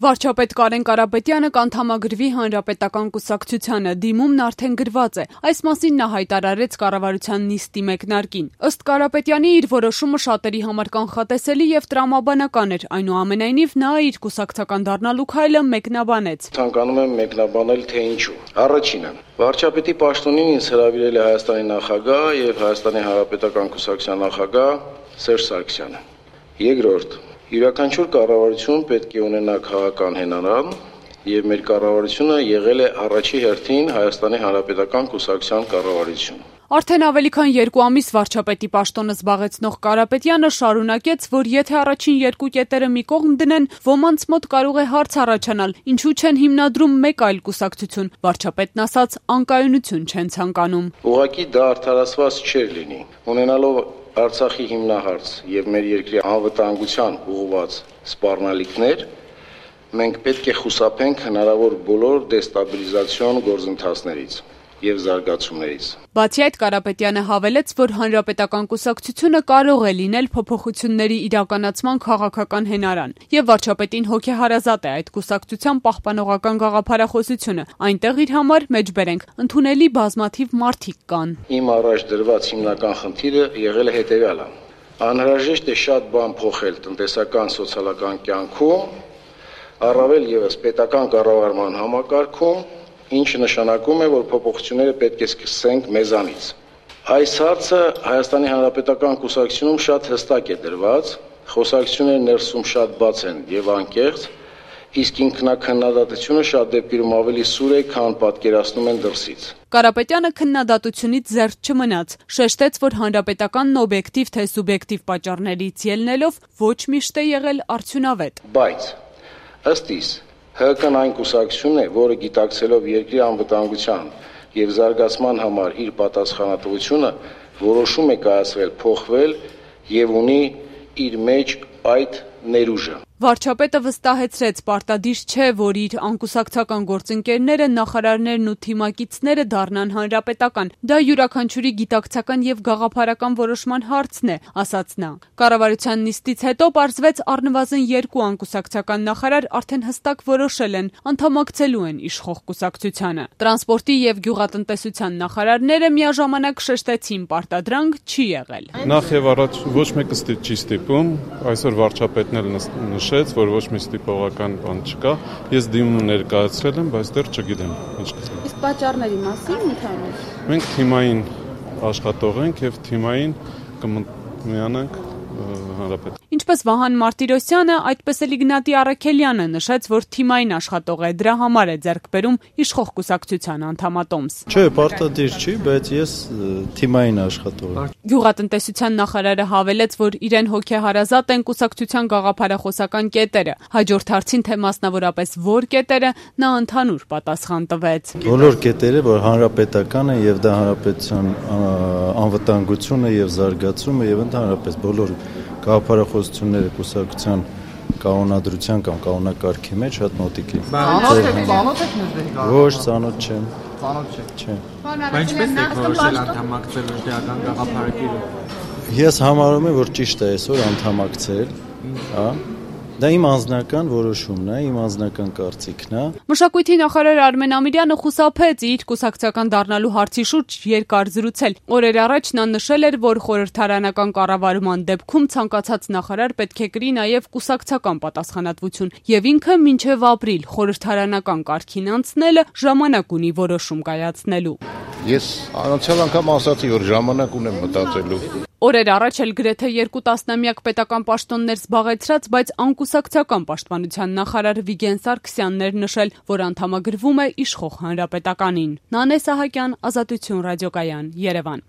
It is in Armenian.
Վարչապետ Կարեն Կարապետյանը կանդամագրվի Հանրապետական կուսակցությանը, դիմումն արդեն գրված է, այս մասին նա հայտարարեց կառավարության նիստի մեկնարկին։ Ըստ Կարապետյանի իր որոշումը շատերի համար կանխատեսելի եւ տրամաբանական էր, այնուամենայնիվ նա իր կուսակցական դառնալու քայլը մեկնաբանեց։ Ցանկանում եմ մեկնաբանել, թե ինչու։ Առաջինը, վարչապետի պաշտոնին ինձ հրավիրել է Հայաստանի նախագահ եւ Հայաստանի Հանրապետական կուսակցության նախագահ Սերժ Սարգսյանը։ Երկրորդ, յուրաքանչյուր կառավարություն պետք է ունենա քաղաքական հենարան եւ մեր կառավարությունը եղել է առաջի հերթին Հայաստանի Հանրապետական կուսակցության կառավարություն։ Արդեն ավելի քան 2 ամիս վարչապետի պաշտոնը զբաղեցնող Կարապետյանը շարունակեց, որ եթե առաջին 2 կետերը մի կողմ դնեն, ոմանց մոտ կարող է հարց առաջանալ, ինչու չեն հիմնադրում մեկ այլ կուսակցություն, վարչապետն ասաց, անկայունություն չեն ցանկանում։ Ուղղակի դա արդարացված չէր լինի, ունենալով Արցախի հիմնահարց եւ մեր երկրի անվտանգության ուղղված սպառնալիքներ, մենք պետք է խուսափենք հնարավոր բոլոր դեստաբիլիզացիոն գործընթացներից եւ զարգացումներից։ Բացի այդ, Կարապետյանը հավելեց, որ Հանրապետական կուսակցությունը կարող է լինել փոփոխությունների իրականացման քաղաքական հենարան, եւ վարչապետին հոգեհարազատ է այդ կուսակցության պահպանողական գաղափարախոսությունը, այնտեղ իր համար մեջբերենք ընդունելի բազմաթիվ մարդիկ կան։ Իմ առաջ դրված հիմնական խնդիրը եղել է հետեւյալը. անհրաժեշտ է շատ բան փոխել տնտեսական սոցիալական կյանքում, առավել եւս պետական կառավարման համակարգում, ինչը նշանակում է, որ փոփոխությունները պետք է սկսենք մեզանից։ Այս հարցը Հայաստանի Հանրապետական կուսակցությունում շատ հստակ է դրված, խոսակցությունները ներսում շատ բաց են եւ անկեղծ, իսկ ինքնակնդատությունը շատ դեպքերում ավելի սուր է, քան պատկերացնում են դրսից։ Կարապետյանը քննադատությունից զերծ չմնաց, շեշտեց, որ հանրապետականն օբյեկտիվ թե սուբյեկտիվ պատճառներից ելնելով ոչ միշտ է եղել արդյունավետ։ Բայց ըստ իս ՀԿ-ն այն կուսակցությունն է, որը գիտակցելով երկրի անվտանգության եւ զարգացման համար իր պատասխանատվությունը որոշում է կայացվել փոխվել եւ ունի իր մեջ այդ ներուժը։ Վարչապետը վստահեցրեց, պարտադիր չէ, որ իր անկուսակցական գործընկերները, նախարարներն ու թիմակիցները դառնան հանրապետական։ Դա յուրաքանչյուրի գիտակցական եւ գաղափարական որոշման հարցն է, ասաց նա։ Կառավարության նիստից հետո պարզվեց առնվազն 2 անկուսակցական նախարար արդեն հստակ որոշել են, անդամակցելու են իշխող կուսակցությանը։ Տրանսպորտի եւ գյուղատնտեսության նախարարները միաժամանակ շեշտեցին, պարտադրանք չի եղել։ Նախ եւ առաջ ոչ մեկը չի ստիպում, այսօր վարչապետն էլ նշեց, որ ոչ մի ստիպողական բան չկա։ Ես դիմում ներկայացրել եմ, բայց դեռ չգիտեմ ինչ կստանա։ Իսկ պատճառների մասին ընդհանուր։ Մենք թիմային աշխատող ենք եւ թիմային կմիանանք հանրապետ։ Ինչպես Վահան Մարտիրոսյանը, այդպես էլ Իգնատի Առաքելյանը նշեց, որ թիմային աշխատող է, դրա համար է ձեռք բերում իշխող կուսակցության անդամատոմս։ Չէ, պարտադիր չի, բայց ես թիմային աշխատող եմ։ Գյուղատնտեսության նախարարը հավելեց, որ իրեն հոգեհարազատ են կուսակցության գաղափարախոսական կետերը։ Հաջորդ հարցին, թե մասնավորապես որ կետերը, նա ընդհանուր պատասխան տվեց։ Բոլոր կետերը, որ հանրապետական են եւ դա հանրապետության անվտանգությունը եւ զարգացումը եւ ընդհանրապես բոլոր գաղափարախոսությունները կուսակցության կանոնադրության կամ կանոնակարգի մեջ շատ մոտիկ են։ Ծանոթ եք մեզ։ Ոչ, ծանոթ չեմ։ Ծանոթ չեք։ Չէ։ Ինչպես եք որոշել անդամակցել դրական գաղափարակիրը։ Ես համարում եմ, որ ճիշտ է այսօր անդամակցել, հա։ Դա իմ անձնական որոշումն է, իմ անձնական կարծիքն է։ Մշակույթի նախարար Արմեն Ամիրյանը խուսափեց իր կուսակցական դառնալու հարցի շուրջ երկար զրուցել։ Օրեր առաջ նա նշել էր, որ խորհրդարանական կառավարման դեպքում ցանկացած նախարար պետք է կրի նաև կուսակցական պատասխանատվություն, եւ ինքը մինչև ապրիլ խորհրդարանական կարգին անցնելը ժամանակ ունի որոշում կայացնելու։ Ես անցյալ անգամ ասացի, որ ժամանակ ունեմ մտածելու։ Օրեր առաջ էլ գրեթե 2 տասնամյակ պետական պաշտոններ զբաղեցրած, բայց անկուսակցական պաշտպանության նախարար Վիգեն Սարգսյանն էր նշել, որ անդամագրվում է իշխող հանրապետականին։ Նանե Սահակյան, Ազատություն ռադիոկայան, Երևան։